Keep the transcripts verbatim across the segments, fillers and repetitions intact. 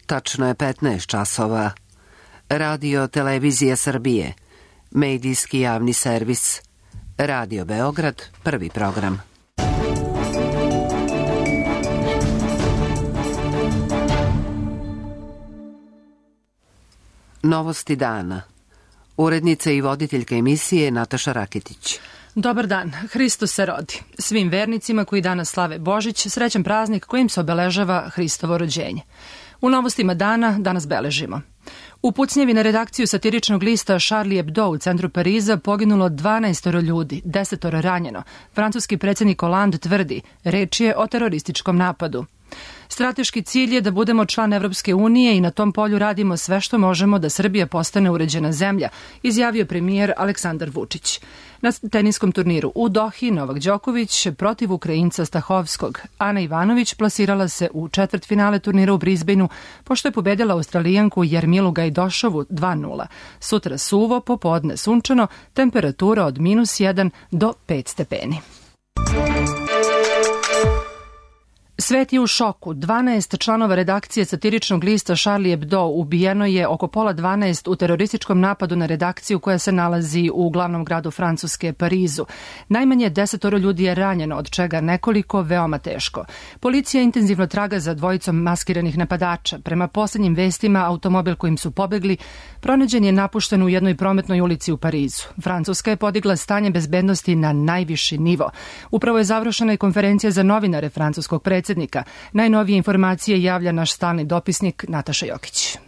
Tačno je petnaest časova. Radio Televizija Srbije. Medijski javni servis. Radio Beograd, prvi program. Novosti dana. Urednica i voditeljka emisije Nataša Raketić. Dobar dan, Hristos se rodi. Svim vernicima koji danas slave Božić, srećan praznik kojim se obeležava Hristovo rođenje. U novostima dana danas beležimo. U pucnjevi na redakciju satiričnog lista Charlie Hebdo u centru Pariza poginulo dvanaest ljudi, deset ranjeno. Francuski predsjednik Hollande tvrdi, reč je o terorističkom napadu. Strateški cilj je da budemo član Evropske unije i na tom polju radimo sve što možemo da Srbija postane uređena zemlja, izjavio premijer Aleksandar Vučić. Na teniskom turniru u Dohi Novak Đoković protiv Ukrajinca Stahovskog. Ana Ivanović plasirala se u četvrtfinale turnira u Brisbaneu pošto je pobedila Australijanku Jarmilu Gajdošovu dva nula. Sutra suvo, popodne sunčano, temperatura od minus jedan do pet stepeni. Svet je u šoku. dvanaest članova redakcije satiričnog lista Charlie Hebdo ubijeno je oko pola dvanaest u terorističkom napadu na redakciju koja se nalazi u glavnom gradu Francuske, Parizu. Najmanje desetoro ljudi je ranjeno, od čega nekoliko veoma teško. Policija intenzivno traga za dvojicom maskiranih napadača. Prema posljednjim vestima, automobil kojim su pobegli pronađen je napušten u jednoj prometnoj ulici u Parizu. Francuska je podigla stanje bezbednosti na najviši nivo. Upravo je završena i konferencija za novinare francuskog predsjednika. Najnovije informacije javlja naš stalni dopisnik Nataša Jokić.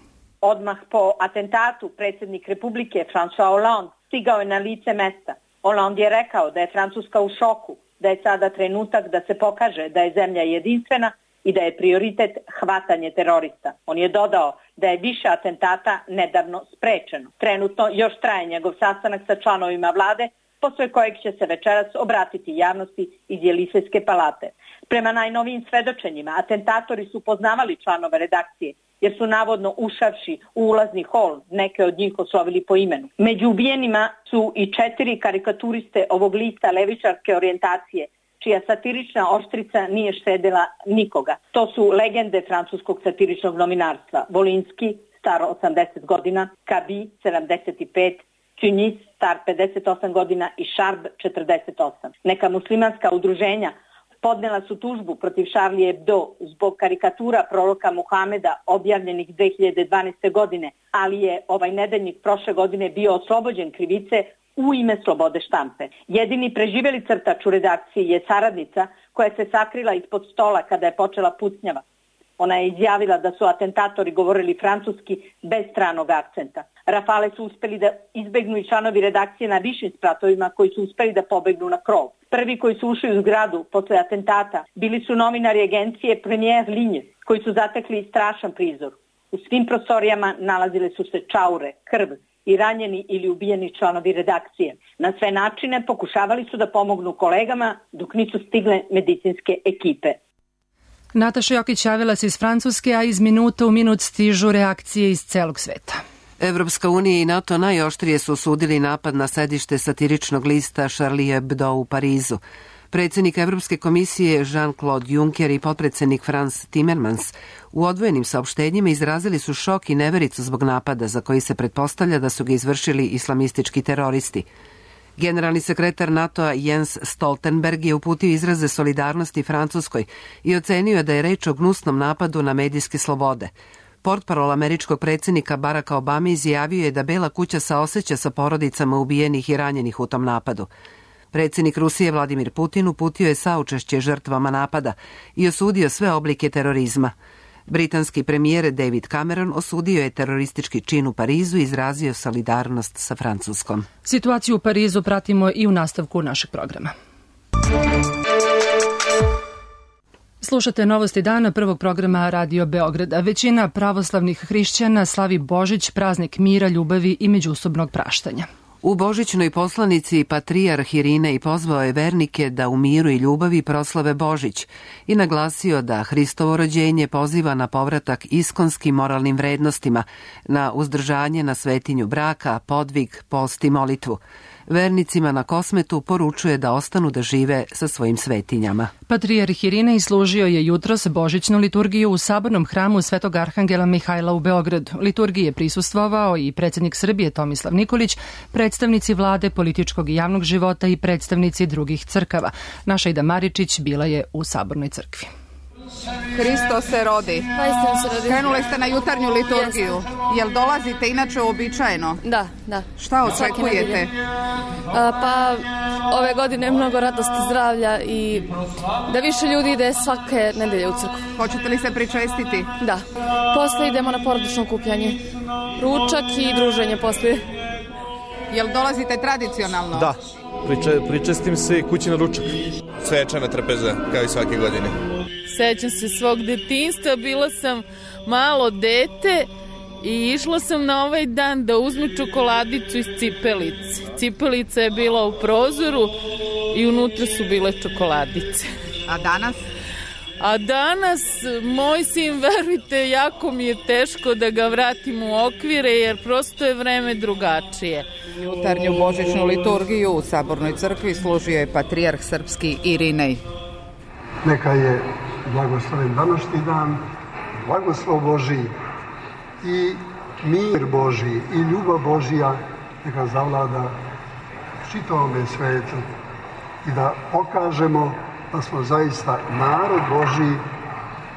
Odmah po atentatu predsjednik Republike François Hollande stigao je na lice mesta. Hollande je rekao da je Francuska u šoku, da je sada trenutak da se pokaže da je zemlja jedinstvena i da je prioritet hvatanje terorista. On je dodao da je više atentata nedavno sprečeno. Trenutno još traje njegov sastanak sa članovima vlade, posle kojeg će se večeras obratiti javnosti iz Jelisejske palate. Prema najnovijim svedočenjima, atentatori su poznavali članove redakcije, jer su navodno ušavši u ulazni hol neke od njih oslovili po imenu. Među ubijenima su i četiri karikaturiste ovog lista levičarske orijentacije, čija satirična oštrica nije štedela nikoga. To su legende francuskog satiričnog novinarstva: Volinski, star osamdeset godina, Kabi, sedamdeset pet, Tunis, star pedeset osam godina i Šarb, četrdeset osam. Neka muslimanska udruženja podnela su tužbu protiv Charlie Hebdo zbog karikatura proroka Muhameda objavljenih dve hiljade dvanaeste. godine, ali je ovaj nedeljnik prošle godine bio oslobođen krivice u ime slobode štampe. Jedini preživjeli crtač u redakciji je saradnica koja se sakrila ispod stola kada je počela pucnjava. Ona je izjavila da su atentatori govorili francuski bez stranog akcenta. Rafale su uspeli da izbegnu i članovi redakcije na višim spratovima koji su uspeli da pobegnu na krov. Prvi koji su ušli u zgradu posle atentata bili su novinari agencije Premier Ligne koji su zatekli strašan prizor. U svim prostorijama nalazile su se čaure, krv i ranjeni ili ubijeni članovi redakcije. Na sve načine pokušavali su da pomognu kolegama dok nisu stigle medicinske ekipe. Nataša Jokić javila se iz Francuske, a iz minuta u minut stižu reakcije iz celog sveta. Evropska unija i NATO najoštrije su osudili napad na sedište satiričnog lista Charlie Hebdo u Parizu. Predsjednik Evropske komisije Jean-Claude Juncker i potpredsjednik Frans Timmermans u odvojenim saopštenjima izrazili su šok i nevericu zbog napada za koji se pretpostavlja da su ga izvršili islamistički teroristi. Generalni sekretar NATO-a Jens Stoltenberg je uputio izraze solidarnosti Francuskoj i ocenio je da je reč o gnusnom napadu na medijske slobode. Portparol američkog predsjednika Baracka Obama izjavio je da Bela kuća saoseća sa porodicama ubijenih i ranjenih u tom napadu. Predsjednik Rusije Vladimir Putin uputio je saučešće žrtvama napada i osudio sve oblike terorizma. Britanski premijer David Cameron osudio je teroristički čin u Parizu i izrazio solidarnost sa Francuskom. Situaciju u Parizu pratimo i u nastavku našeg programa. Slušate novosti dana prvog programa Radio Beograda. Većina pravoslavnih hrišćana slavi Božić, praznik mira, ljubavi i međusobnog praštanja. U božićnoj poslanici patrijarh Irinej pozvao je vernike da u miru i ljubavi proslave Božić i naglasio da Hristovo rođenje poziva na povratak iskonskim moralnim vrednostima, na uzdržanje na svetinju braka, podvig, post i molitvu. Vernicima na Kosmetu poručuje da ostanu da žive sa svojim svetinjama. Patrijarh Irinej služio je jutros božićnu liturgiju u sabornom hramu Svetog Arhangela Mihajla u Beogradu. Liturgiji je prisustvovao i predsjednik Srbije Tomislav Nikolić, predstavnici vlade, političkog i javnog života i predstavnici drugih crkava. Naša Ida Maričić bila je u sabornoj crkvi. Hristo se rodi. Pa se rodi. Krenuli ste na jutarnju liturgiju. Jeste. Jel dolazite inače uobičajeno? Da, da. Šta očekujete? A, pa ove godine mnogo radosti, zdravlja i da više ljudi ide svake nedelje u crkvu. Hoćete li se pričestiti? Da. Posle idemo na porodično okupljanje. Ručak i druženje posle. Jel dolazite tradicionalno? Da. Priče, pričestim se i kući na ručak. Svečana trpeza, kao i svake godine. Sećam se svog detinjstva, bila sam malo dete i išla sam na ovaj dan da uzmem čokoladicu iz cipelice. Cipelica je bila u prozoru i unutra su bile čokoladice. A danas? A danas, moj sin, verujte, jako mi je teško da ga vratim u okvire, jer prosto je vreme drugačije. Jutarnju božićnu liturgiju u Sabornoj crkvi služio je patrijarh srpski Irinej. Neka je blagosloven današnji dan, blagoslov Božiji i mir Božiji i ljubav Božija neka zavlada čitavome svetu i da pokažemo da smo zaista narod Božiji,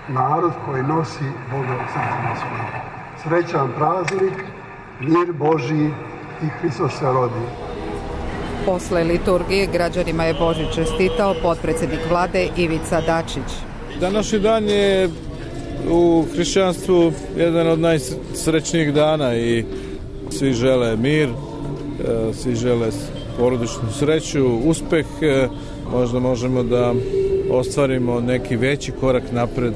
narod koji nosi Boga u srcima svojim. Srećan praznik, mir Božiji i Hristos se rodi. Posle liturgije građanima je Božić čestitao potpredsjednik vlade Ivica Dačić. Današnji dan je u hrišćanstvu jedan od najsrećnijih dana i svi žele mir, svi žele porodičnu sreću, uspeh. Možda možemo da ostvarimo neki veći korak napred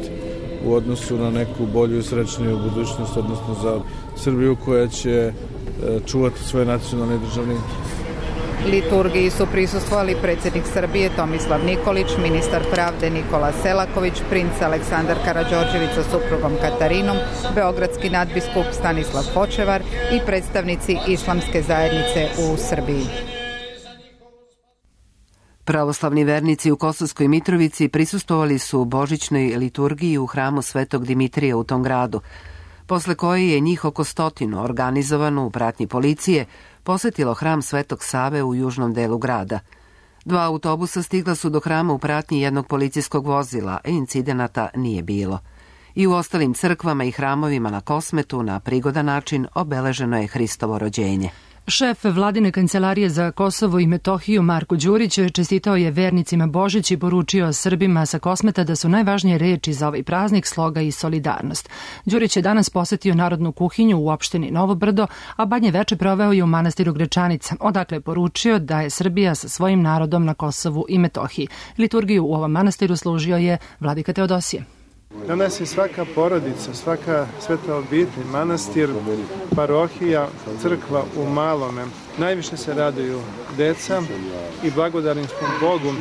u odnosu na neku bolju i srećniju budućnost, odnosno za Srbiju koja će čuvati svoje nacionalne i državne interese. Liturgiji su prisustvovali predsjednik Srbije Tomislav Nikolić, ministar pravde Nikola Selaković, princ Aleksandar Karađorđević sa suprugom Katarinom, beogradski nadbiskup Stanislav Hočevar i predstavnici islamske zajednice u Srbiji. Pravoslavni vernici u Kosovskoj Mitrovici prisustvovali su božićnoj liturgiji u hramu Svetog Dimitrija u tom gradu, posle koje je njih oko stotinu organizovano u pratnji policije posetilo hram Svetog Save u južnom delu grada. Dva autobusa stigla su do hrama u pratnji jednog policijskog vozila, a incidenata nije bilo. I u ostalim crkvama i hramovima na Kosmetu na prigodan način obeleženo je Hristovo rođenje. Šef vladine kancelarije za Kosovo i Metohiju Marko Đurić čestitao je vernicima Božić i poručio Srbima sa Kosmeta da su najvažnije reči za ovaj praznik sloga i solidarnost. Đurić je danas posetio narodnu kuhinju u opštini Novo Brdo, a badnje veče proveo je u manastiru Grečanica, odakle je poručio da je Srbija sa svojim narodom na Kosovu i Metohiji. Liturgiju u ovom manastiru služio je vladika Teodosije. Danas je svaka porodica, svaka sveta obitelj, manastir, parohija, crkva u malome. Najviše se raduju deca i blagodarni smo Bogu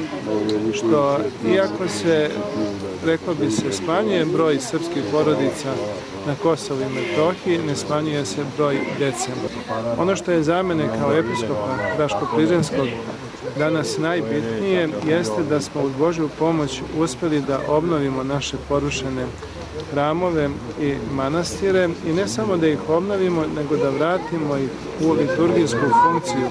što, iako se, reklo bi se, smanjuje broj srpskih porodica na Kosovu i Metohiji, ne smanjuje se broj dece. Ono što je za mene kao episkopa Raško-Pliženskog danas najbitnije jeste da smo uz Božju pomoć uspeli da obnovimo naše porušene hramove i manastire i ne samo da ih obnovimo, nego da vratimo ih u liturgijsku funkciju.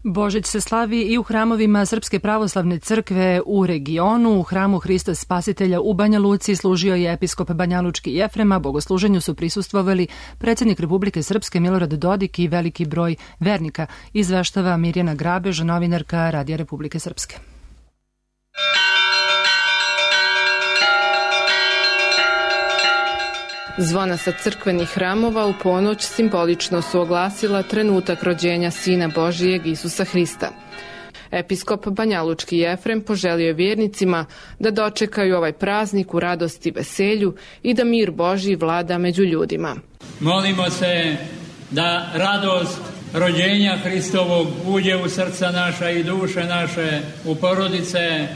Božić se slavi i u hramovima Srpske pravoslavne crkve u regionu. U hramu Hrista Spasitelja u Banja Luci služio je episkop Banjalučki Jefrem, a bogosluženju su prisustvovali predsjednik Republike Srpske Milorad Dodik i veliki broj vernika, izveštava Mirjana Grabež, novinarka Radija Republike Srpske. Zvona sa crkvenih hramova u ponoć simbolično su oglasila trenutak rođenja Sina Božijeg Isusa Hrista. Episkop Banjalučki Jefrem poželio je vjernicima da dočekaju ovaj praznik u radosti i veselju i da mir Božji vlada među ljudima. Molimo se da radost rođenja Hristovog uđe u srca naša i duše naše, u porodice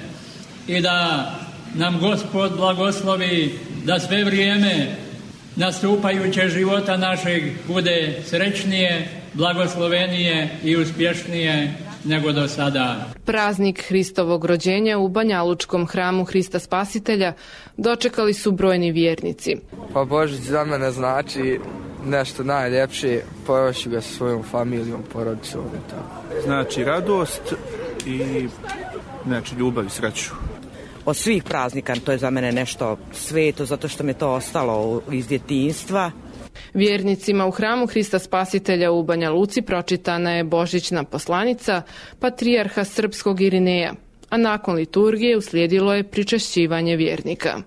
i da nam Gospod blagoslovi da sve vrijeme nastupajuće života našeg bude srećnije blagoslovenije i uspješnije nego do sada. Praznik Hristovog rođenja u Banjalučkom hramu Hrista Spasitelja dočekali su brojni vjernici. Pa Božić za mene znači nešto najljepše, pojavši ga sa svojom familijom, porodicom i tako. Znači radost i znači ljubav i sreću. Od svih praznika to je za mene nešto sveto, zato što mi to ostalo iz djetinjstva. Vjernicima u hramu Hrista Spasitelja u Banja Luci pročitana je božićna poslanica patrijarha srpskog Irineja, a nakon liturgije uslijedilo je pričešćivanje vjernika.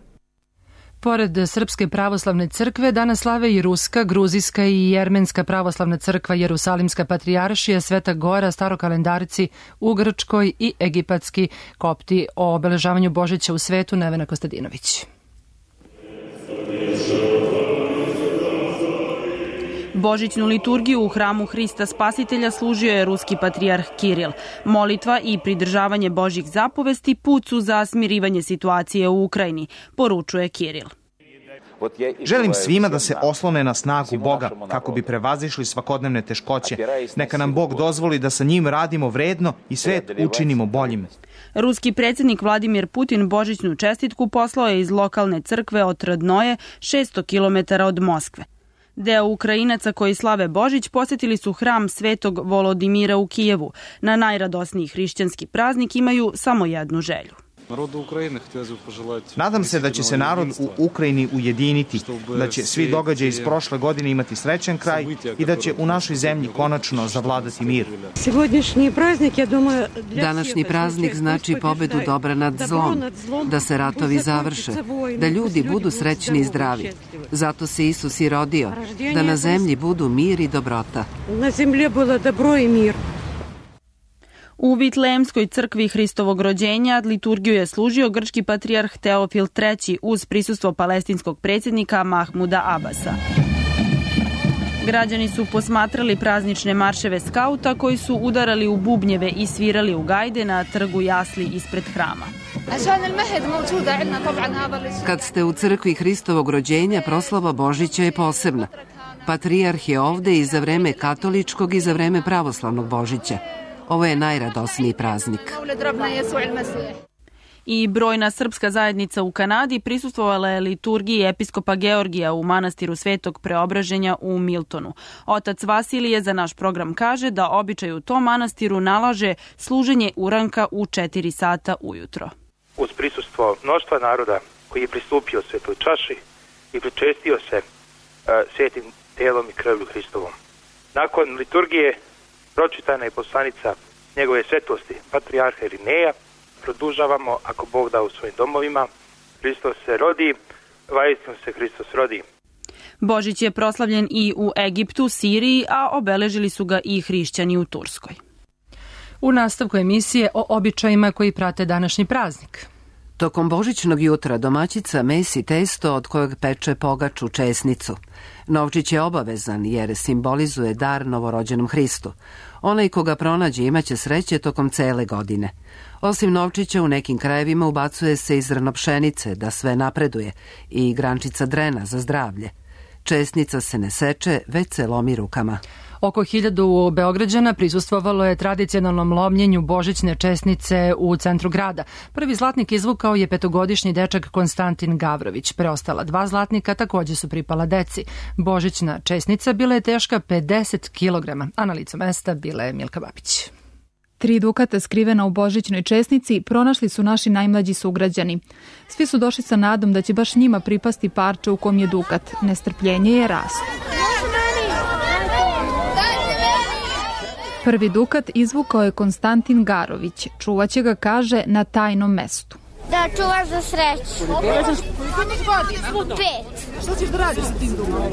Pored Srpske pravoslavne crkve, danas slave i Ruska, Gruzijska i Jermenska pravoslavna crkva, Jerusalimska patrijaršija, Sveta Gora, starokalendarci u Grčkoj i egipatski kopti. O obeležavanju Božića u svetu Nevena Kostadinović. Božićnu liturgiju u hramu Hrista Spasitelja služio je ruski patrijarh Kiril. Molitva i pridržavanje Božjih zapovesti put su za smirivanje situacije u Ukrajini, poručuje Kiril. Želim svima da se oslone na snagu Boga kako bi prevazišli svakodnevne teškoće. Neka nam Bog dozvoli da sa njim radimo vredno i svet učinimo boljim. Ruski predsjednik Vladimir Putin božićnu čestitku poslao je iz lokalne crkve od Rodnoje, šesto kilometara od Moskve. Deo Ukrajinaca koji slave Božić posjetili su hram Svetog Volodimira u Kijevu. Na najradosniji hrišćanski praznik imaju samo jednu želju. Nadam se da će se narod u Ukrajini ujediniti, da će svi događaji iz prošle godine imati srećan kraj i da će u našoj zemlji konačno zavladati mir. Današnji praznik znači pobedu dobra nad zlom, da se ratovi završe, da ljudi budu srećni i zdravi. Zato se Isus i rodio, da na zemlji budu mir i dobrota. Na zemlji bilo dobro i mir. U Vitlejemskoj crkvi Hristovog rođenja liturgiju je služio grčki patrijarh Teofil treći uz prisustvo palestinskog predsjednika Mahmuda Abasa. Građani su posmatrali praznične marševe skauta koji su udarali u bubnjeve i svirali u gajde na trgu jasli ispred hrama. Kad ste u crkvi Hristovog rođenja, proslava Božića je posebna. Patrijarh je ovde i za vreme katoličkog i za vreme pravoslavnog Božića. Ovo je najradosniji praznik. I brojna srpska zajednica u Kanadi prisustvovala je liturgiji episkopa Georgija u manastiru Svetog Preobraženja u Miltonu. Otac Vasilije za naš program kaže da običaj u tom manastiru nalaže služenje uranka u četiri sata ujutro. Uz prisustvo mnoštva naroda koji je pristupio svetoj čaši i pričestio se uh, svetim telom i krvlju Hristovom. Nakon liturgije pročitana je poslanica njegove svetosti, patrijarha Irineja. Produžavamo, ako Bog da, u svojim domovima. Hristos se rodi, vaistinu se Hristos rodi. Božić je proslavljen i u Egiptu, Siriji, a obeležili su ga i hrišćani u Turskoj. U nastavku emisije o običajima koji prate današnji praznik. Tokom božićnog jutra domaćica mesi testo od kojeg peče pogaču česnicu. Novčić je obavezan jer simbolizuje dar novorođenom Hristu. Onaj koga pronađe imaće sreće tokom cele godine. Osim novčića u nekim krajevima ubacuje se i zrno pšenice da sve napreduje i grančica drena za zdravlje. Česnica se ne seče, već se lomi rukama. Oko hiljadu Beograđana prisustvovalo je tradicionalnom lomljenju božićne česnice u centru grada. Prvi zlatnik izvukao je petogodišnji dečak Konstantin Gavrović. Preostala dva zlatnika također su pripala deci. Božićna česnica bila je teška pedeset kilograma, a na licu mesta bila je Milka Babić. Tri dukata skrivena u božićnoj česnici pronašli su naši najmlađi sugrađani. Svi su došli sa nadom da će baš njima pripasti parče u kom je dukat. Nestrpljenje je raslo. Prvi dukat izvukao je Konstantin Garović. Čuvaće ga, kaže, na tajnom mestu. Da čuvaš za sreću. Koliko imaš godina? Pet. Što ćeš da radiš sa tim dukatom?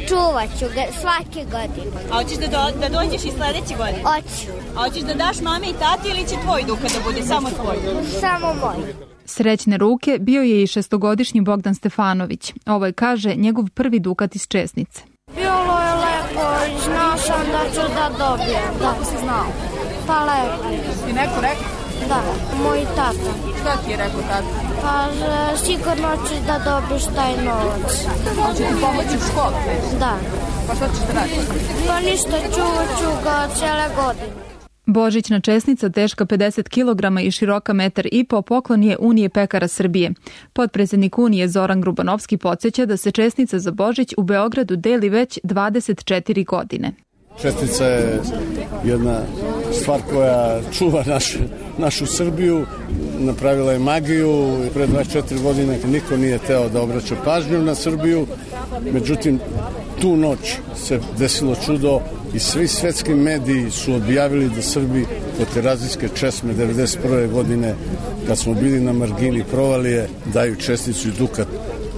Čuvaću ga svake godine. A hoćeš da, do, da dođeš i sledeće godine? Hoću. A hoćeš da daš mami i tati ili će tvoj dukat da bude samo tvoj? Samo moj. Srećne ruke bio je i šestogodišnji Bogdan Stefanović. Ovo je, kaže, njegov prvi dukat iz česnice. Bilo je lepo i znao sam da ću da dobijem. Kako si znao? Pa lepo. Ti neko rekao? Da, moj tata. Šta ti je rekao tata? Kaže, sigurno ćeš da dobiš taj novac. Hoće ti pomoći u školu? Da. Pa šta ćeš da radiš? Pa ništa, čuvat ću ga cijele godine. Božićna česnica teška pedeset kilograma i široka metar i po poklon je Unije pekara Srbije. Potpredsednik Unije Zoran Grubanovski podsjeća da se česnica za Božić u Beogradu deli već dvadeset četiri godine. Čestica je jedna stvar koja čuva naš, našu Srbiju, napravila je magiju. Pre dvadeset četiri godine niko nije teo da obraća pažnju na Srbiju, međutim tu noć se desilo čudo i svi svetski mediji su objavili da Srbi od terazijske česme devedeset prve godine, kad smo bili na margini provalije, daju česticu i dukat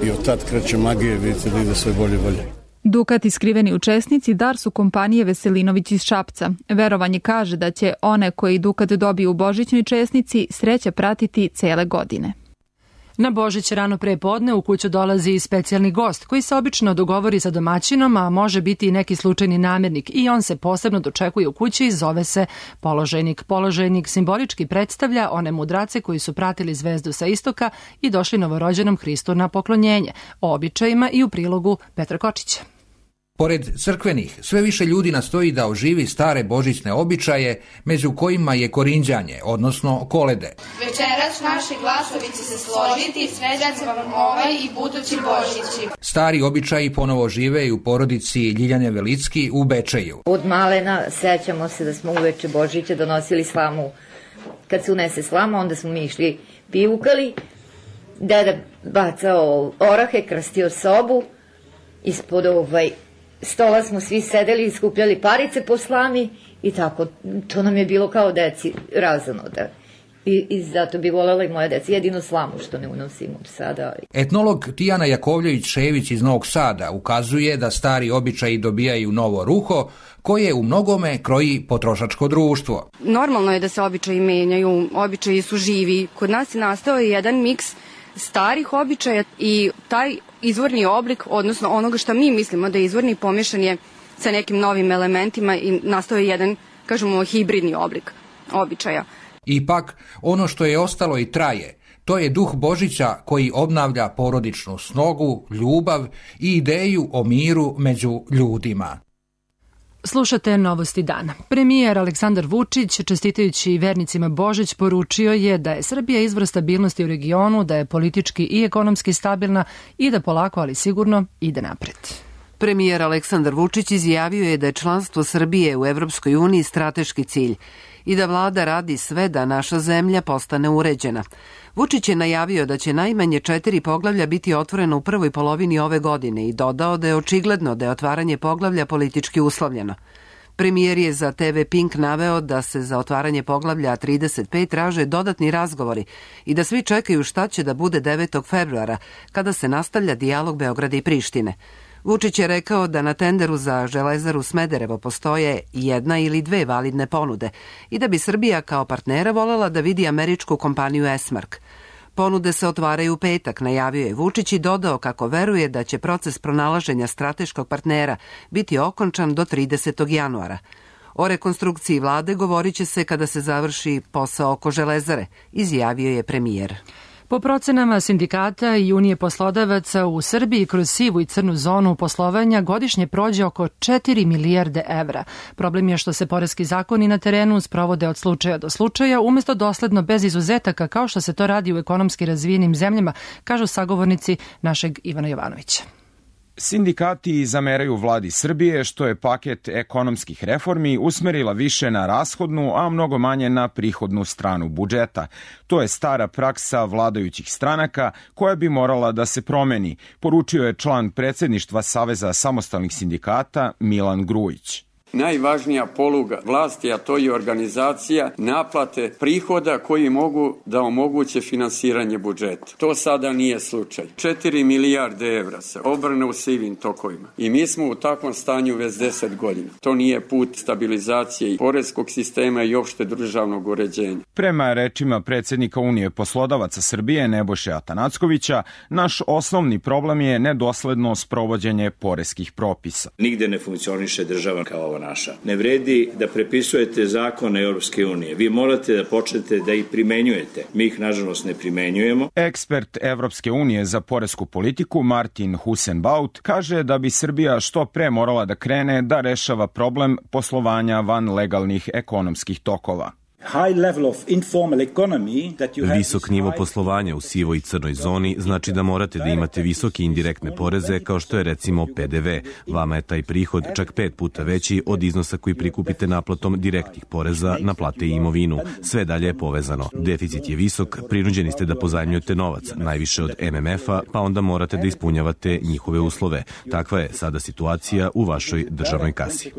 i od tad kreće magije, vidite da ide sve bolje i bolje. Dukati skriveni u česnici dar su kompanije Veselinović iz Šapca. Verovanje kaže da će one koji dukat dobiju u božićnoj česnici sreća pratiti cele godine. Na Božić rano pre podne u kuću dolazi i specijalni gost koji se obično dogovori sa domaćinom, a može biti i neki slučajni namirnik i on se posebno dočekuje u kući i zove se položajnik. Položajnik simbolički predstavlja one mudrace koji su pratili zvezdu sa istoka i došli novorođenom Hristu na poklonjenje, o običajima i u prilogu Petra Kočića. Pored crkvenih, sve više ljudi nastoji da oživi stare božićne običaje, među kojima je korinđanje, odnosno kolede. Večeras naši glasovi će se složiti, sređat će vam ovaj i budući Božići. Stari običaji ponovo žive i u porodici Ljiljane Velicki u Bečeju. Od malena sećamo se da smo uveče Božića donosili slamu. Kad se unese slama, onda smo mi išli pivukali, deda bacao orahe, krstio sobu, ispod ovaj stola smo svi sedeli i skupljali parice po slami i tako, to nam je bilo kao deci razonoda. I, i zato bi voljela i moja deca jedinu slamu što ne unosimo sada. Etnolog Tijana Jakovljević-Šević iz Novog Sada ukazuje da stari običaji dobijaju novo ruho koje u mnogome kroji potrošačko društvo. Normalno je da se običaji menjaju, običaji su živi. Kod nas je nastao jedan miks starih običaja i taj izvorni oblik, odnosno onoga što mi mislimo da je izvorni, pomješan je sa nekim novim elementima i nastao je jedan, kažemo, hibridni oblik običaja. Ipak, ono što je ostalo i traje, to je duh Božića koji obnavlja porodičnu snogu, ljubav i ideju o miru među ljudima. Slušate Novosti dana. Premijer Aleksandar Vučić, čestitajući vernicima Božić, poručio je da je Srbija izvor stabilnosti u regionu, da je politički i ekonomski stabilna i da polako, ali sigurno, ide napred. Premijer Aleksandar Vučić izjavio je da je članstvo Srbije u Evropskoj uniji strateški cilj i da vlada radi sve da naša zemlja postane uređena. Vučić je najavio da će najmanje četiri poglavlja biti otvoreno u prvoj polovini ove godine i dodao da je očigledno da je otvaranje poglavlja politički uslovljeno. Premijer je za te ve Pink naveo da se za otvaranje poglavlja trideset pet traže dodatni razgovori i da svi čekaju šta će da bude devetog februara, kada se nastavlja dijalog Beograda i Prištine. Vučić je rekao da na tenderu za Železaru Smederevo postoje jedna ili dve validne ponude i da bi Srbija kao partnera voljela da vidi američku kompaniju Esmark. Ponude se otvaraju u petak, najavio je Vučić i dodao kako veruje da će proces pronalaženja strateškog partnera biti okončan do tridesetog januara. O rekonstrukciji vlade govorit će se kada se završi posao oko Železare, izjavio je premijer. Po procenama sindikata i Unije poslodavaca u Srbiji kroz sivu i crnu zonu poslovanja godišnje prođe oko četiri milijarde evra. Problem je što se poreski zakoni na terenu sprovode od slučaja do slučaja, umesto dosledno bez izuzetaka kao što se to radi u ekonomski razvijenim zemljama, kažu sagovornici našeg Ivana Jovanovića. Sindikati zameraju vladi Srbije što je paket ekonomskih reformi usmerila više na rashodnu, a mnogo manje na prihodnu stranu budžeta. To je stara praksa vladajućih stranaka koja bi morala da se promeni, poručio je član predsjedništva Saveza samostalnih sindikata Milan Grujić. Najvažnija poluga vlasti, a to je organizacija naplate prihoda koji mogu da omoguće finansiranje budžeta. To sada nije slučaj. četiri milijarde evra se obrne u sivim tokovima i mi smo u takvom stanju već deset godina. To nije put stabilizacije i poreskog sistema i opšte državnog uređenja. Prema rečima predsjednika Unije poslodavaca Srbije Nebojše Atanackovića, naš osnovni problem je nedosledno sprovođenje poreskih propisa. Nigde ne funkcioniše država kao upravo naša. Ne vredi da prepisujete zakone Europske unije. Vi morate da počnete da ih primenjujete. Mi ih, nažalost, ne primenjujemo. Ekspert Evropske unije za poresku politiku Martin Husenbaut kaže da bi Srbija što pre morala da krene da rešava problem poslovanja van legalnih ekonomskih tokova. Visok nivo poslovanja u sivoj i crnoj zoni znači da morate da imate visoke indirektne poreze kao što je recimo P D V. Vama je taj prihod čak pet puta veći od iznosa koji prikupite naplatom direktnih poreza na plate i imovinu. Sve dalje je povezano. Deficit je visok, prinuđeni ste da pozajmljujete novac, najviše od M M F-a, pa onda morate da ispunjavate njihove uslove. Takva je sada situacija u vašoj državnoj kasi.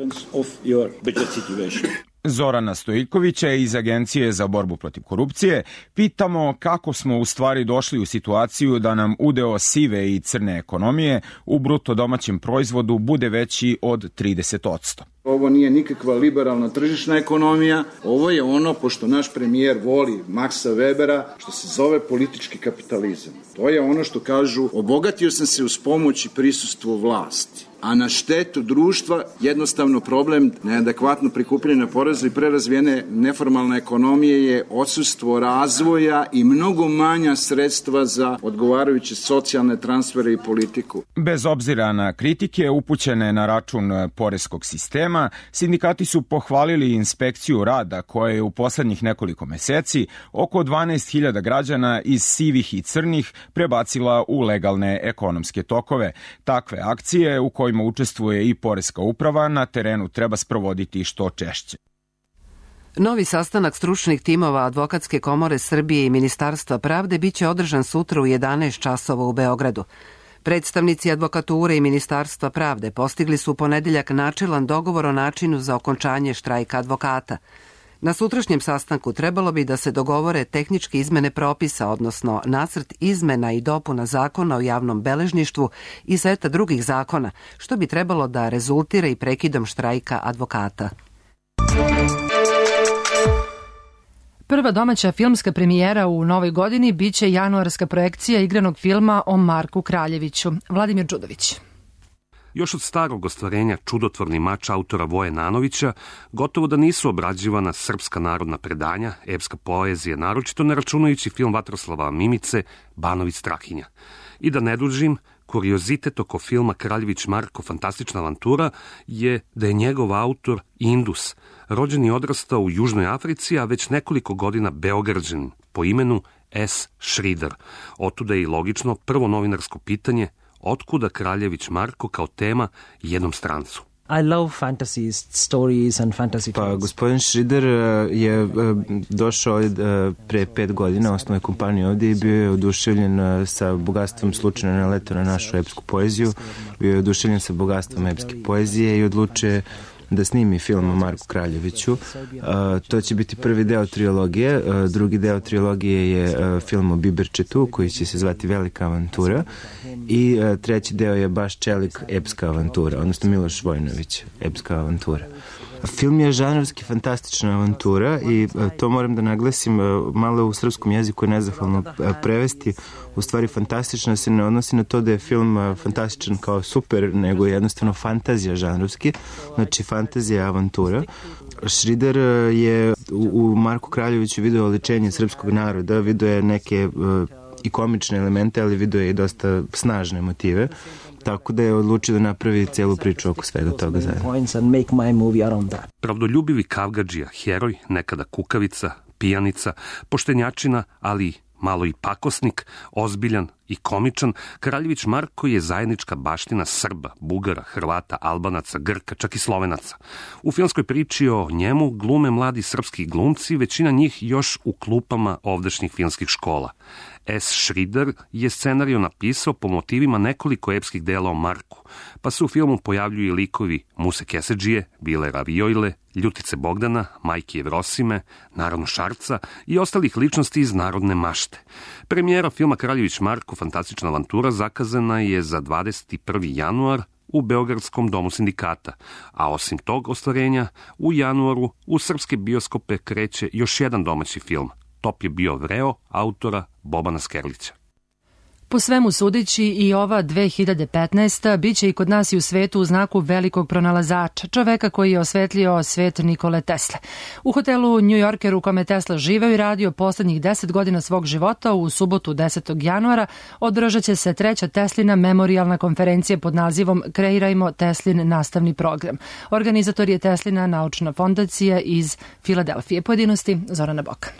Zorana Stojikovića iz Agencije za borbu protiv korupcije pitamo kako smo u stvari došli u situaciju da nam udeo sive i crne ekonomije u bruto domaćem proizvodu bude veći od trideset posto. Ovo nije nikakva liberalna tržišna ekonomija, ovo je ono, pošto naš premijer voli Maxa Webera, što se zove politički kapitalizam. To je ono što kažu, obogatio sam se uz pomoć i prisustvo vlasti, a na štetu društva jednostavno problem neadekvatno prikupljene poreza i prerazvijene neformalne ekonomije je odsustvo razvoja i mnogo manja sredstva za odgovarajuće socijalne transfere i politiku. Bez obzira na kritike upućene na račun poreskog sistema, sindikati su pohvalili inspekciju rada koja je u poslednjih nekoliko meseci oko dvanaest hiljada građana iz sivih i crnih prebacila u legalne ekonomske tokove. Takve akcije u kojima učestvuje i poreska uprava na terenu treba sprovoditi što češće. Novi sastanak stručnih timova Advokatske komore Srbije i Ministarstva pravde biće održan sutra u jedanaest časova u Beogradu. Predstavnici advokature i Ministarstva pravde postigli su u ponedeljak načelan dogovor o načinu za okončanje štrajka advokata. Na sutrašnjem sastanku trebalo bi da se dogovore tehničke izmene propisa, odnosno nacrt izmena i dopuna zakona o javnom beležništvu i seta drugih zakona, što bi trebalo da rezultira i prekidom štrajka advokata. Prva domaća filmska premijera u novoj godini biće januarska projekcija igranog filma o Marku Kraljeviću. Vladimir Đudović. Još od starog ostvarenja Čudotvorni mač autora Voje Nanovića, gotovo da nisu obrađivana srpska narodna predanja, epska poezija, naročito ne računajući film Vatroslava Mimice, Banović Strahinja. I da ne dužim, kuriozitet oko filma Kraljević Marko fantastična avantura je da je njegov autor Indus, rođen i odrastao u Južnoj Africi, a već nekoliko godina Beograđanin po imenu S. Schrider. Otuda je i logično prvo novinarsko pitanje otkuda Kraljević Marko kao tema jednom strancu. I love fantasy stories and fantasy Pa, gospodin Schrider je došao pre pet godina, osnovne kompanije ovdje i bio je oduševljen sa bogatstvom, slučajno naletao na našu epsku poeziju, bio je oduševljen sa bogatstvom epske poezije i odlučuje da snimi film o Marku Kraljeviću. Uh, to će biti prvi deo trilogije. Uh, drugi deo trilogije je uh, film o Biberčetu, koji će se zvati Velika avantura. I uh, treći deo je baš Čelik, epska avantura, odnosno Miloš Vojnović, epska avantura. Film je žanrovski fantastična avantura i uh, to moram da naglasim, uh, malo u srpskom jeziku je nezahvalno uh, prevesti. U stvari fantastično se ne odnosi na to da je film uh, fantastičan kao super, nego je jednostavno fantazija žanrovski, znači fantazija avantura. Schrider uh, je u, u Marku Kraljeviću video oličenje srpskog naroda, video je neke uh, i komične elemente, ali video je i dosta snažne motive. Tako da je odlučio da napravi celu priču oko svega toga zajedno. Pravdoljubivi kavgadžija, heroj, nekada kukavica, pijanica, poštenjačina, ali malo i pakosnik, ozbiljan i komičan, Kraljević Marko je zajednička baština Srba, Bugara, Hrvata, Albanaca, Grka, čak i Slovenaca. U filmskoj priči o njemu glume mladi srpski glumci, većina njih još u klupama ovdašnjih filmskih škola. S. Schrider je scenariju napisao po motivima nekoliko epskih dela o Marku, pa se u filmu pojavljuju i likovi Muse Kesedžije, Bile Ravijojle, Ljutice Bogdana, Majke Jevrosime, naravno Šarca i ostalih ličnosti iz narodne mašte. Premijera filma Kraljević Marko fantastična avantura zakazana je za dvadeset prvi januar u Beogradskom domu sindikata, a osim tog ostvarenja, u januaru u srpske bioskope kreće još jedan domaći film. Top je bio Vreo, autora Bobana Skerlića. Po svemu sudeći i ova dve hiljade petnaesta biće i kod nas i u svetu u znaku velikog pronalazača, čoveka koji je osvetlio svet Nikole Tesle. U hotelu New Yorker u kome Tesla živeo i radio poslednjih deset godina svog života u subotu desetog januara održat će se treća Teslina memorijalna konferencija pod nazivom Kreirajmo Teslin nastavni program. Organizator je Teslina naučna fondacija iz Filadelfije. Pojedinosti Zorana Bokan.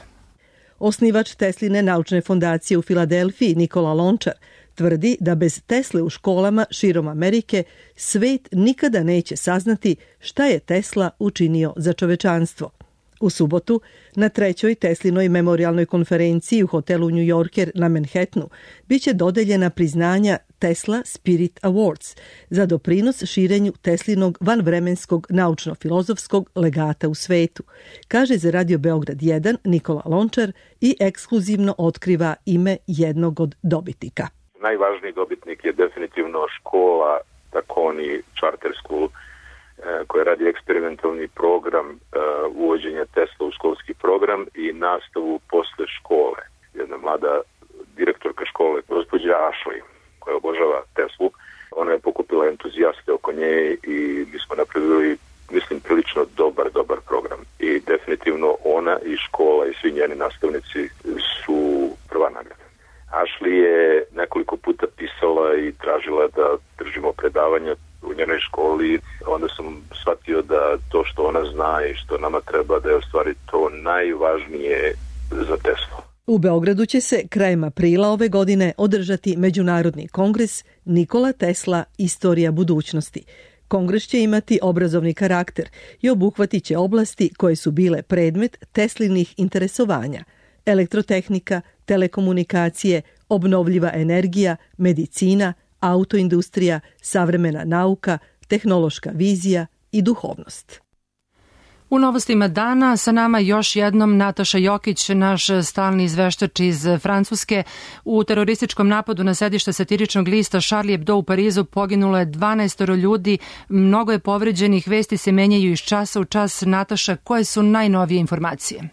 Osnivač Tesline naučne fondacije u Filadelfiji Nikola Lončar tvrdi da bez Tesle u školama širom Amerike svet nikada neće saznati šta je Tesla učinio za čovečanstvo. U subotu, na trećoj Teslinoj memorijalnoj konferenciji u hotelu New Yorker na Manhattanu, biće dodeljena priznanja Tesla Spirit Awards za doprinos širenju Teslinog vanvremenskog naučno-filozofskog legata u svetu, kaže za Radio Beograd jedan Nikola Lončar i ekskluzivno otkriva ime jednog od dobitnika. Najvažniji dobitnik je definitivno škola Takoni Charter School, koja radi eksperimentalni program uvođenja Tesla u školski program i nastavu posle škole. Jedna mlada direktorka škole, gospođa Ashley, koja obožava Teslu, ona je pokupila entuzijaste oko nje i mi smo napravili, mislim, prilično dobar, dobar program. I definitivno ona i škola i svi njeni nastavnici su prva nagrada. Ashley je nekoliko puta pisala i tražila da držimo predavanja u njenoj školi, onda sam shvatio da to što ona zna i što nama treba da je u stvari to najvažnije za Teslu. U Beogradu će se krajem aprila ove godine održati Međunarodni kongres Nikola Tesla – Istorija budućnosti. Kongres će imati obrazovni karakter i obuhvatit će oblasti koje su bile predmet Teslinih interesovanja: elektrotehnika, telekomunikacije, obnovljiva energija, medicina, autoindustrija, savremena nauka, tehnološka vizija i duhovnost. U novostima dana sa nama još jednom Nataša Jokić, naš stalni izveštač iz Francuske. U terorističkom napadu na sedište satiričnog lista Charlie Hebdo u Parizu poginulo je dvanaest ljudi, mnogo je povređenih, vesti se menjaju iz časa u čas. Nataša, koje su najnovije informacije?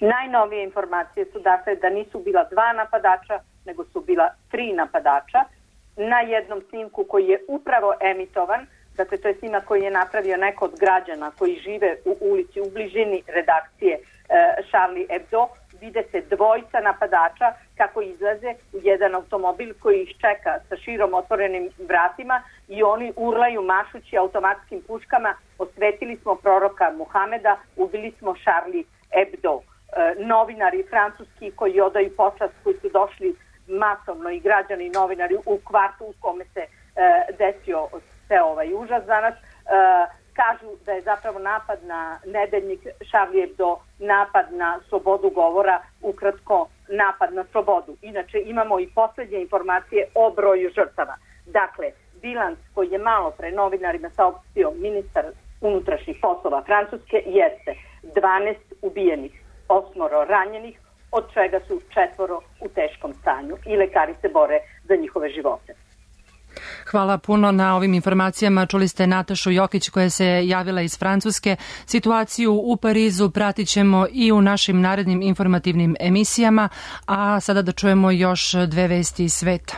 Najnovije informacije su dakle da nisu bila dva napadača, nego su bila tri napadača. Na jednom snimku koji je upravo emitovan, dakle to je snimak koji je napravio neko od građana koji žive u ulici u bližini redakcije e, Charlie Hebdo, vide se dvojica napadača kako izlaze u jedan automobil koji ih čeka sa širom otvorenim vratima i oni urlaju mašući automatskim puškama: osvetili smo proroka Muhameda, ubili smo Charlie Hebdo. E, novinari francuski koji odaju počast, koji su došli masovno, i građani i novinari u kvartu u kome se e, desio sve ovaj užas danas, e, kažu da je zapravo napad na nedeljnik Charlie Hebdo napad na slobodu govora, ukratko napad na slobodu. Inače imamo i poslednje informacije o broju žrtava. Dakle, bilans koji je malo pre novinarima saopštio ministar unutrašnjih poslova Francuske jeste dvanaest ubijenih, osmoro ranjenih, od čega su četvoro u teškom stanju i lekari se bore za njihove živote. Hvala puno na ovim informacijama. Čuli ste Natašu Jokić koja se javila iz Francuske. Situaciju u Parizu pratit ćemo i u našim narednim informativnim emisijama, a sada da čujemo još dve vesti iz sveta.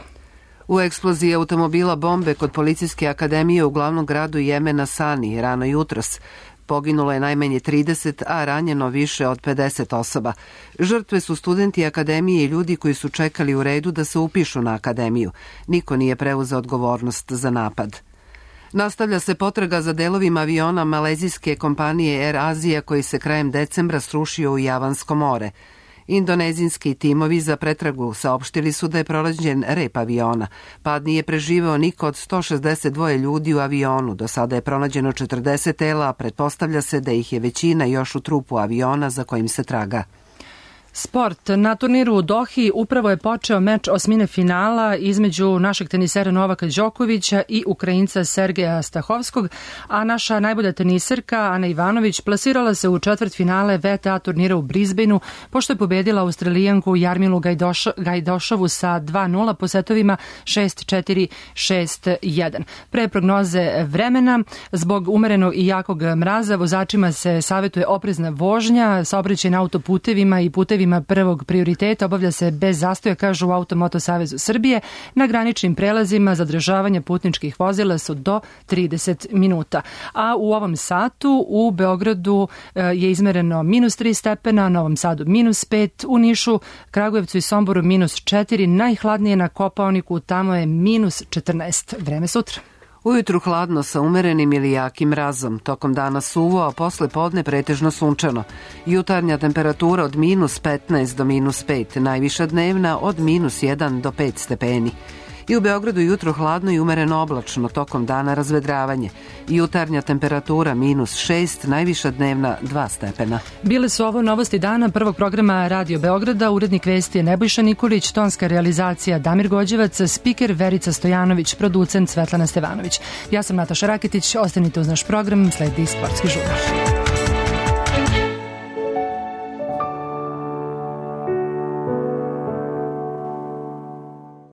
U eksploziji automobila bombe kod Policijske akademije u glavnom gradu Jemena Sani rano jutros poginulo je najmanje trideset, a ranjeno više od pedeset osoba. Žrtve su studenti akademije i ljudi koji su čekali u redu da se upišu na akademiju. Niko nije preuzeo odgovornost za napad. Nastavlja se potraga za delovima aviona malezijske kompanije Air Asia koji se krajem decembra srušio u Javansko more. Indonezijski timovi za pretragu saopštili su da je pronađen rep aviona. Pad nije preživeo niko od sto šezdeset dva ljudi u avionu. Do sada je pronađeno četrdeset tela, a pretpostavlja se da ih je većina još u trupu aviona za kojim se traga. Sport. Na turniru u Dohi upravo je počeo meč osmine finala između našeg tenisera Novaka Đokovića i Ukrajinca Sergeja Stahovskog, a naša najbolja teniserka Ana Ivanović plasirala se u četvrt finale V T A turnira u Brisbaneu, pošto je pobedila Australijanku Jarmilu Gajdoš, Gajdošovu sa dva nula po setovima šest četiri, šest jedan. Pre prognoze vremena, zbog umerenog i jakog mraza, vozačima se savjetuje oprezna vožnja, saobraćaj na autoputevima i putevima putevima prvog prioriteta obavlja se bez zastoja, kažu u Automoto Savezu Srbije. Na graničnim prelazima zadržavanja putničkih vozila su do trideset minuta. A u ovom satu u Beogradu je izmereno minus tri stepena, Novom Sadu minus pet, u Nišu, Kragujevcu i Somboru minus četiri, najhladnije na Kopaoniku, tamo je minus četrnaest. Vreme sutra. Ujutru hladno sa umerenim ili jakim mrazom, tokom dana suvo, a posle podne pretežno sunčano. Jutarnja temperatura od minus petnaest do minus pet, najviša dnevna od minus jedan do pet stepeni. I u Beogradu jutro hladno i umereno oblačno, tokom dana razvedravanje. Jutarnja temperatura minus šest, najviša dnevna dva stepena. Bile su ovo novosti dana prvog programa Radio Beograda. Urednik vesti je Nebojša Nikolić, tonska realizacija Damir Gođevac, spiker Verica Stojanović, producent Svetlana Stevanović. Ja sam Nataša Raketić, ostanite uz naš program, sledi Sportski žurnal.